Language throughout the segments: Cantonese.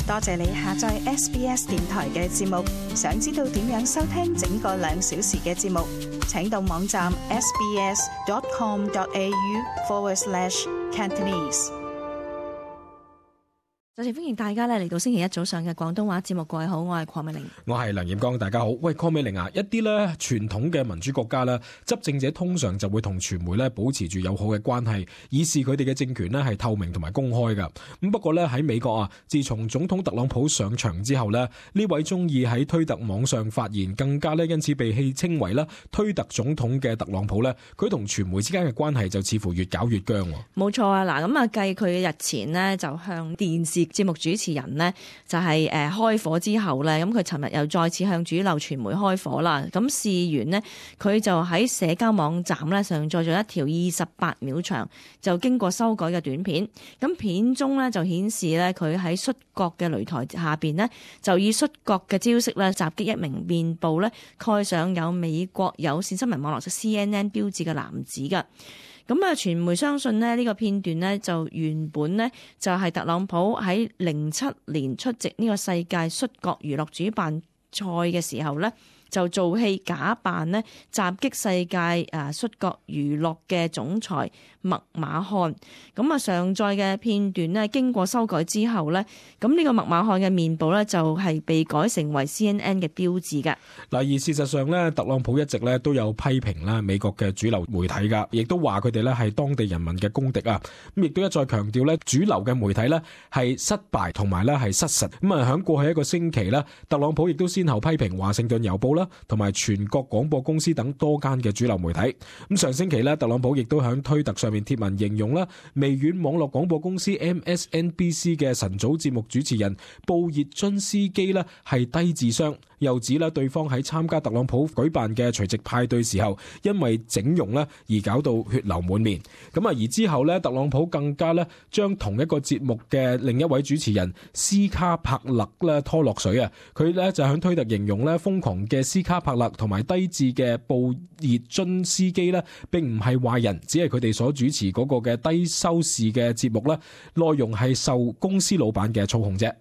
多謝你下載 SBS 電台嘅節目。想知道點樣收聽整個2小時嘅節目，請到網站 sbs.com.au/Cantonese。再次歡迎大家嚟到星期一早上嘅廣東話節目。各位好，我係鄺美玲，我係梁艷剛，大家好。喂，鄺美玲啊，一啲咧傳統嘅民主國家咧，執政者通常就會同傳媒咧保持住友好嘅關係，以示佢哋嘅政權咧係透明同埋公開噶。咁不過咧喺美國啊，自從總統特朗普上場之後咧，呢位中意喺推特網上發言，更加咧因此被戲稱為啦推特總統嘅特朗普咧，佢同傳媒之間嘅關係就似乎越搞越僵。冇錯啊，嗱咁啊，繼佢日前呢就向電視節目主持人呢就係開火之後呢，咁佢尋日又再次向主流傳媒開火啦。咁事緣呢，佢就喺社交網站呢上載咗一條28秒長就經過修改嘅短片。咁片中呢就顯示呢，佢喺摔角嘅擂台下邊呢，就以摔角嘅招式呢襲擊一名面部呢蓋上有美國有線新聞網絡 CNN 標誌嘅男子㗎。咁啊，傳媒相信呢個片段呢，就原本呢，就係特朗普喺07年出席呢個世界摔角娛樂主辦賽嘅時候呢，就做戲假扮呢襲擊世界摔角娛樂嘅總裁麥馬漢。咁啊，上載嘅片段呢，經過修改之後呢，咁呢個麥馬漢嘅面部呢，就係被改成為 CNN 嘅標誌嘅。嗱，而事實上呢，特朗普一直呢都有批評啦美國嘅主流媒體噶，亦都話佢哋呢係當地人民嘅公敵啊。咁亦都一再強調呢，主流嘅媒體呢係失敗同埋呢係失實。咁啊，喺過去一個星期呢，特朗普亦都先後批評華盛頓郵報啦，同埋全國廣播公司等多間嘅主流媒體。咁上星期呢，特朗普亦都喺推特上面貼文形容啦，微軟網絡廣播公司 MSNBC 嘅晨早節目主持人布熱津斯基呢係低智商，又指啦對方喺參加特朗普舉辦嘅除夕派對時候，因為整容呢而搞到血流滿面。咁啊，而之後呢，特朗普更加呢將同一個節目嘅另一位主持人斯卡柏勒呢拖落水啊！佢呢就喺推特形容呢瘋狂嘅斯卡柏勒同埋低智嘅布熱津斯基呢並唔係壞人，只係佢哋所主持嗰個嘅低收視嘅節目呢內容係受公司老闆嘅操控啫。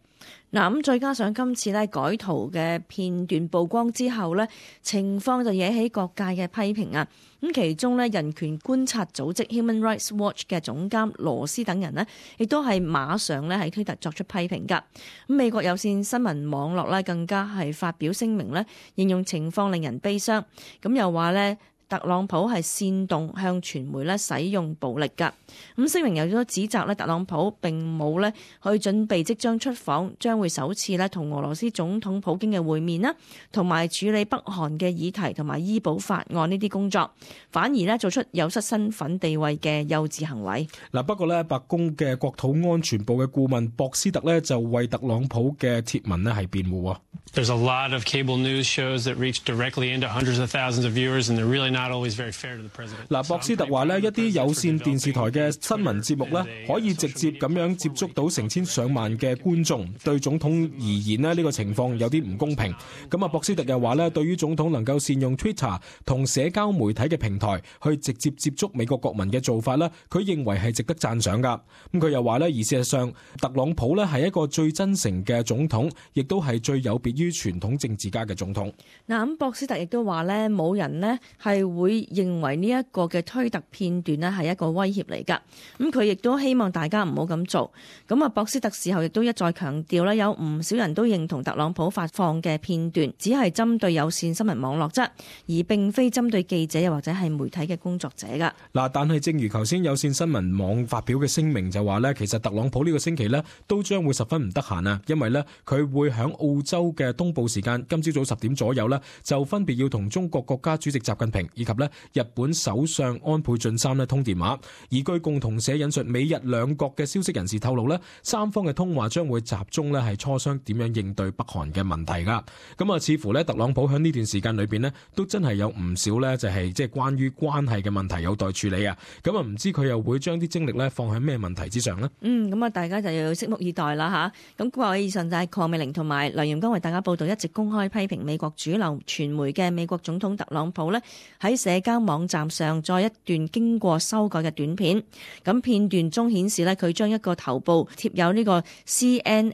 嗱，咁再加上今次咧改圖嘅片段曝光之後咧，情況就惹起各界嘅批評啊！咁其中咧，人權觀察組織 Human Rights Watch 嘅總監羅斯等人呢，亦都係馬上咧喺推特作出批評㗎。咁美國有線新聞網絡咧更加係發表聲明咧，形容情況令人悲傷。咁又話咧，特朗普係煽動向傳媒咧使用暴力㗎。咁聲明又都指責咧特朗普並冇咧去準備即將出訪，將會首次咧同俄羅斯總統普京嘅會面啦，同埋處理北韓嘅議題同埋醫保法案呢啲工作，反而咧做出有失身份地位嘅幼稚行為。嗱，不過咧白宮嘅國土安全部嘅顧問博斯特咧就為特朗普嘅貼文咧係辯護。There's a lot of cable news shows that reach directly into hundreds of thousands of viewers, and they're really not always very fair to the president. 嗱，博斯特話咧，一啲有線電視台嘅新聞節目咧，可以直接咁樣接觸到成千上萬嘅觀眾，對總統而言咧，呢個情況有啲唔公平。咁啊，博斯特又話咧，對於總統能夠善用 Twitter 同社交媒體嘅平台去直接接觸美國國民嘅做法咧，佢認為係值得讚賞噶。咁佢又話咧，而事實上，特朗普咧係一個最真誠嘅總統，亦都係最有別於傳統政治家嘅總統。嗱，咁博斯特亦都話咧，冇人呢係會認為呢一個嘅推特片段呢係一個威脅嚟㗎。咁佢亦都希望大家唔好咁做。咁啊，博斯特事後亦都一再強調咧，有唔少人都認同特朗普發放嘅片段只係針對有線新聞網絡啫，而並非針對記者又或者係媒體嘅工作者㗎。嗱，但係正如頭先有線新聞網發表嘅聲明就話咧，其實特朗普呢個星期呢都將會十分唔得閒啊，因為呢，佢會喺澳洲嘅東部時間今朝早10點左右呢，就分別要同中國國家主席習近平以及呢日本首相安倍晉三呢通電話。而據共同社引述美日兩國嘅消息人士透露呢，三方嘅通話將會集中呢係磋商點樣應對北韓嘅問題噶。咁啊，似乎呢特朗普喺呢段時間裏邊呢都真係有唔少呢就係即係關於關係嘅問題有待處理啊。咁啊，唔知佢又會將啲精力呢放喺咩問題之上呢？咁啊，大家就要拭目以待啦吓。咁各位以上就係鄺美玲同埋梁炎剛為大家報道，一直公開批評美國主流傳媒嘅美國總統特朗普呢喺喺社交網站上載一段經過修改嘅短片。咁片段中顯示咧，佢將一個頭部貼有呢個 CNN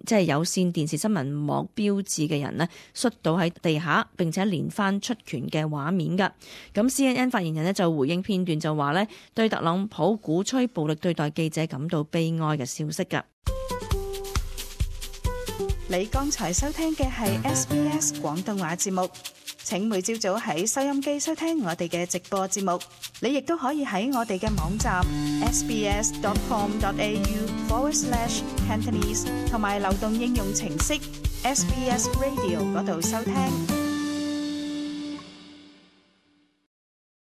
即係有線電視新聞網標誌嘅人呢，摔倒喺地下，並且連番出拳嘅畫面㗎。咁 CNN 發言人呢就回應片段就話呢，對特朗普鼓吹暴力對待記者感到悲哀嘅消息㗎。你剛才收聽嘅係 SBS 廣東話節目。請每朝早喺收音機收聽我哋嘅直播節目。你亦都可以喺我哋嘅網站 sbs.com.au/Cantonese 同埋流動應用程式 SBS Radio 嗰度收聽。